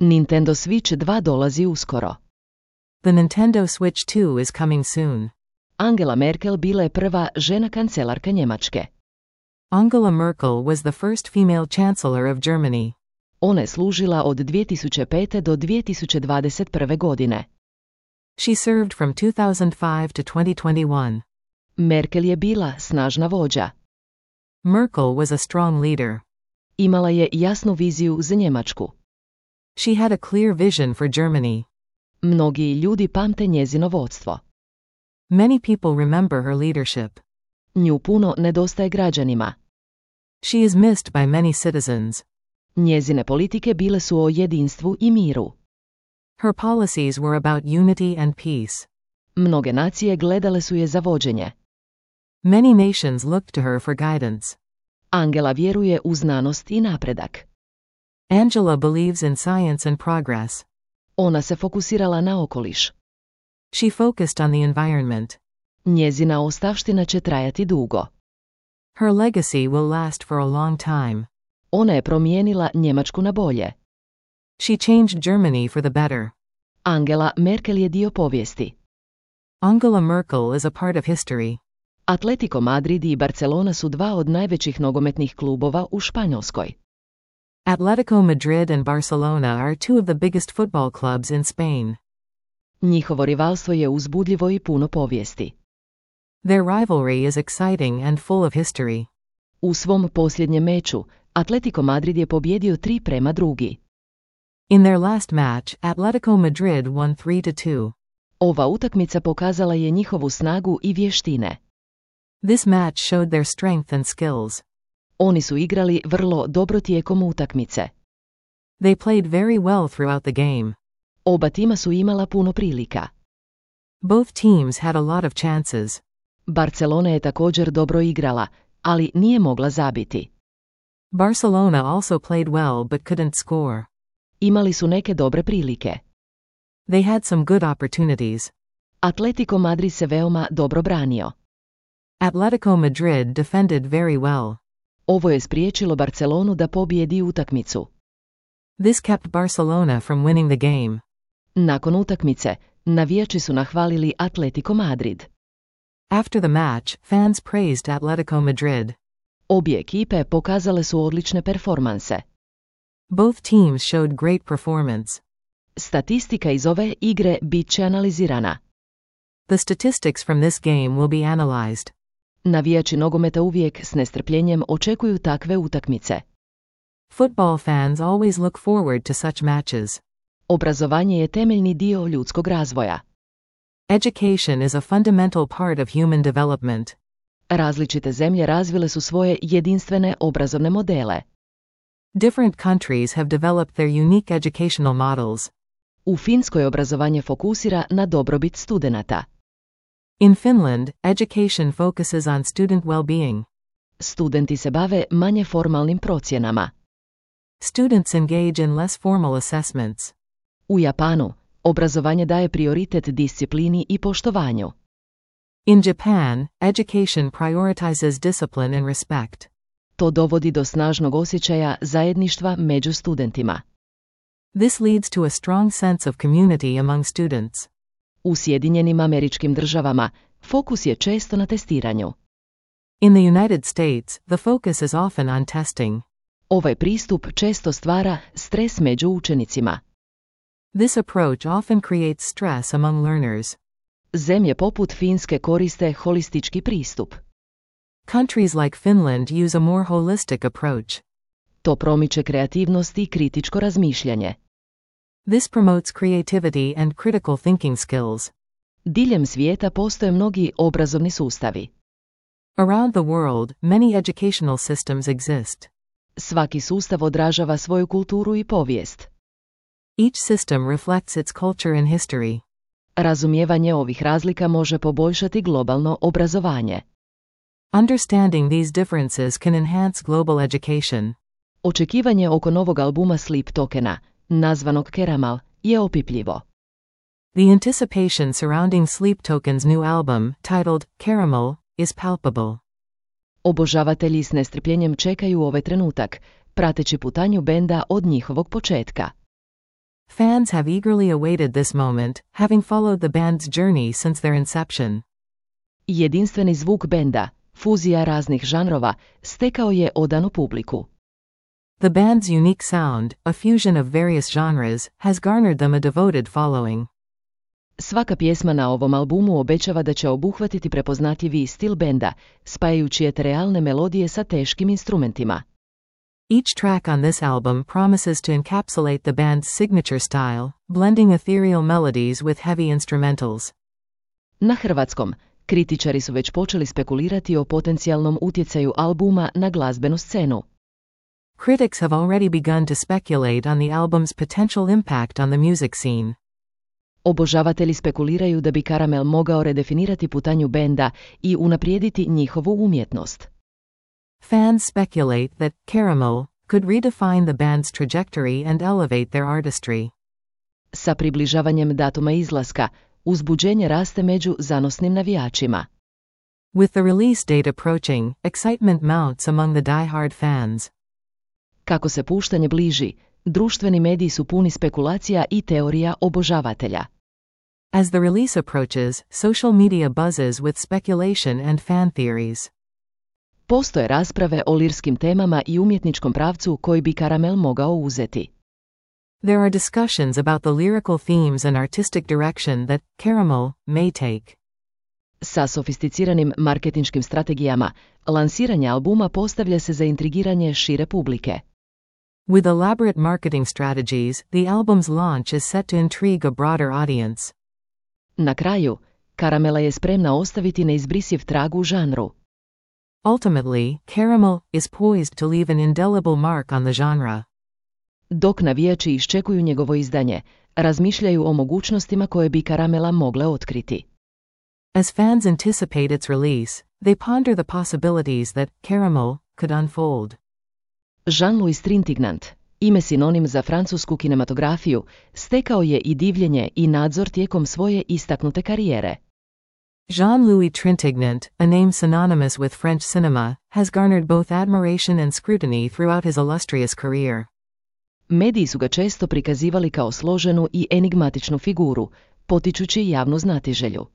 Nintendo Switch 2 dolazi uskoro. The Nintendo Switch 2 is coming soon. Angela Merkel bila je prva žena kancelarka Njemačke. Angela Merkel was the first female chancellor of Germany. Ona je služila od 2005. do 2021. godine. She served from 2005 to 2021. Merkel je bila snažna vođa. Merkel was a strong leader. Imala je jasnu viziju za Njemačku. She had a clear vision for Germany. Mnogi ljudi pamte njezino vodstvo. Many people remember her leadership. Nju puno nedostaje građanima. She is missed by many citizens. Njezine politike bile su o jedinstvu i miru. Her policies were about unity and peace. Mnoge nacije gledale su je za vođenje. Many nations looked to her for guidance. Angela vjeruje u znanost i napredak. Angela believes in science and progress. Ona se fokusirala na okoliš. She focused on the environment. Njezina ostavština će trajati dugo. Her legacy will last for a long time. Ona je promijenila Njemačku na bolje. She changed Germany for the better. Angela Merkel je dio povijesti. Angela Merkel is a part of history. Atletico Madrid i Barcelona su dva od najvećih nogometnih klubova u Španjolskoj. Atletico Madrid and Barcelona are two of the biggest football clubs in Spain. Njihovo rivalstvo je uzbudljivo i puno povijesti. Their rivalry is exciting and full of history. U svom posljednjem meču, Atletico Madrid je pobjedio 3-2. In their last match, Atletico Madrid won 3-2. Ova utakmica pokazala je njihovu snagu i vještine. This match showed their strength and skills. Oni su igrali vrlo dobro tijekom utakmice. They played very well throughout the game. Oba tima su imala puno prilika. Both teams had a lot of chances. Barcelona je također dobro igrala, ali nije mogla zabiti. Barcelona also played well but couldn't score. Imali su neke dobre prilike. They had some good opportunities. Atletico Madrid se veoma dobro branio. Atletico Madrid defended very well. Ovo je spriječilo Barcelonu da pobjedi utakmicu. This kept Barcelona from winning the game. Nakon utakmice, navijači su nahvalili Atletico Madrid. After the match, fans praised Atletico Madrid. Obje ekipe pokazale su odlične performanse. Both teams showed great performance. Statistika iz ove igre bit će analizirana. The statistics from this game will be analyzed. Navijači nogometa uvijek s nestrpljenjem očekuju takve utakmice. Football fans always look forward to such matches. Obrazovanje je temeljni dio ljudskog razvoja. Education is a fundamental part of human development. Različite zemlje razvile su svoje jedinstvene obrazovne modele. Different countries have developed their unique educational models. U Finskoj obrazovanje fokusira na dobrobit studenata. In Finland, education focuses on student well-being. Studenti se bave manje formalnim procjenama. Students engage in less formal assessments. U Japanu, obrazovanje daje prioritet disciplini i poštovanju. In Japan, education prioritizes discipline and respect. To dovodi do snažnog osjećaja zajedništva među studentima. This leads to a strong sense of community among students. U Sjedinjenim Američkim Državama, fokus je često na testiranju. In the United States, the focus is often on testing. Ovaj pristup često stvara stres među učenicima. This approach often creates stress among learners. Zemlje poput Finske koriste holistički pristup. Countries like Finland use a more holistic approach. To promiče kreativnost i kritičko razmišljanje. This promotes creativity and critical thinking skills. Diljem svijeta postoje mnogi obrazovni sustavi. Around the world, many educational systems exist. Svaki sustav odražava svoju kulturu i povijest. Each system reflects its culture and history. Razumijevanje ovih razlika može poboljšati globalno obrazovanje. Understanding these differences can enhance global education. Očekivanje oko novog albuma Sleep Tokena, nazvanog Caramel, je opipljivo. The anticipation surrounding Sleep Token's new album, titled Caramel, is palpable. Obožavatelji s nestrpljenjem čekaju ovaj trenutak, prateći putanju benda od njihovog početka. Fans have eagerly awaited this moment, having followed the band's journey since their inception. Jedinstveni zvuk benda, fuzija raznih žanrova, stekao je odanu publiku. The band's unique sound, a fusion of various genres, has garnered them a devoted following. Svaka pjesma na ovom albumu obećava da će obuhvatiti prepoznatljivi stil benda, spajajući eterealne melodije sa teškim instrumentima. Each track on this album promises to encapsulate the band's signature style, blending ethereal melodies with heavy instrumentals. Na hrvatskom, kritičari su već počeli spekulirati o potencijalnom utjecaju albuma na glazbenu scenu. Critics have already begun to speculate on the album's potential impact on the music scene. Obožavatelji spekuliraju da bi Karamel mogao redefinirati putanju benda i unaprijediti njihovu umjetnost. Fans speculate that Caramel could redefine the band's trajectory and elevate their artistry. Sa približavanjem datuma izlaska, uzbuđenje raste među zanosnim navijačima. With the release date approaching, excitement mounts among the die-hard fans. Kako se puštanje bliži, društveni mediji su puni spekulacija i teorija obožavatelja. As the release approaches, social media buzzes with speculation and fan theories. Postoje rasprave o lirskim temama i umjetničkom pravcu koji bi Karamel mogao uzeti. There are discussions about the lyrical themes and artistic direction that Caramel may take. Sa sofisticiranim marketinškim strategijama, lansiranje albuma postavlja se za intrigiranje šire publike. With elaborate marketing strategies, the album's launch is set to intrigue a broader audience. Na kraju, Karamela je spremna ostaviti neizbrisiv trag u žanru. Ultimately, Caramel is poised to leave an indelible mark on the genre. Dok navijači iščekuju njegovo izdanje, razmišljaju o mogućnostima koje bi Karamela mogle otkriti. As fans anticipate its release, they ponder the possibilities that Caramel could unfold. Jean-Louis Trintignant, ime sinonim za francusku kinematografiju, stekao je i divljenje i nadzor tijekom svoje istaknute karijere. Jean-Louis Trintignant, a name synonymous with French cinema, has garnered both admiration and scrutiny throughout his illustrious career. Mediji su ga često prikazivali kao složenu i enigmatičnu figuru, potičući javnu znatiželju.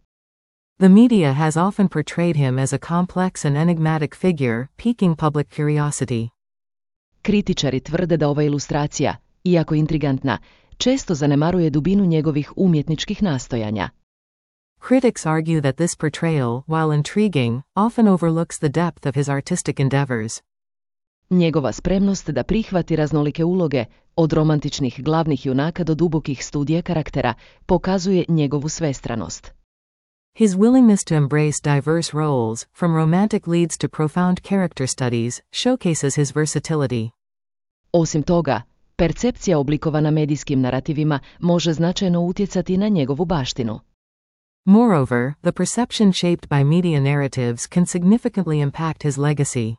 The media has often portrayed him as a complex and enigmatic figure, piquing public curiosity. Kritičari tvrde da ova ilustracija, iako intrigantna, često zanemaruje dubinu njegovih umjetničkih nastojanja. Critics argue that this portrayal, while intriguing, often overlooks the depth of his artistic endeavors. Njegova spremnost da prihvati raznolike uloge, od romantičnih glavnih junaka do dubokih studija karaktera, pokazuje njegovu svestranost. His willingness to embrace diverse roles, from romantic leads to profound character studies, showcases his versatility. Osim toga, percepcija oblikovana medijskim narativima može značajno utjecati na njegovu baštinu. Moreover, the perception shaped by media narratives can significantly impact his legacy.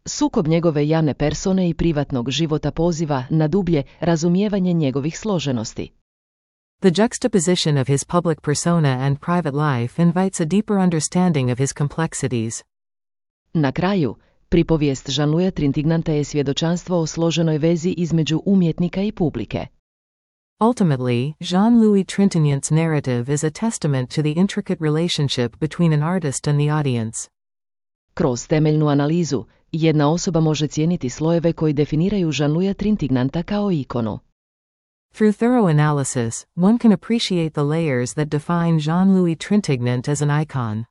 Sukob njegove javne persone i privatnog života poziva na dublje razumijevanje njegovih složenosti. The juxtaposition of his public persona and private life invites a deeper understanding of his complexities. Na kraju, pripovijest Jean-Louisa Trintignanta je svjedočanstvo o složenoj vezi između umjetnika i publike. Ultimately, Jean-Louis Trintignant's narrative is a testament to the intricate relationship between an artist and the audience. Kroz temeljnu analizu, jedna osoba može cijeniti slojeve koji definiraju Jean-Louisa Trintignanta kao ikonu. Through thorough analysis, one can appreciate the layers that define Jean-Louis Trintignant as an icon.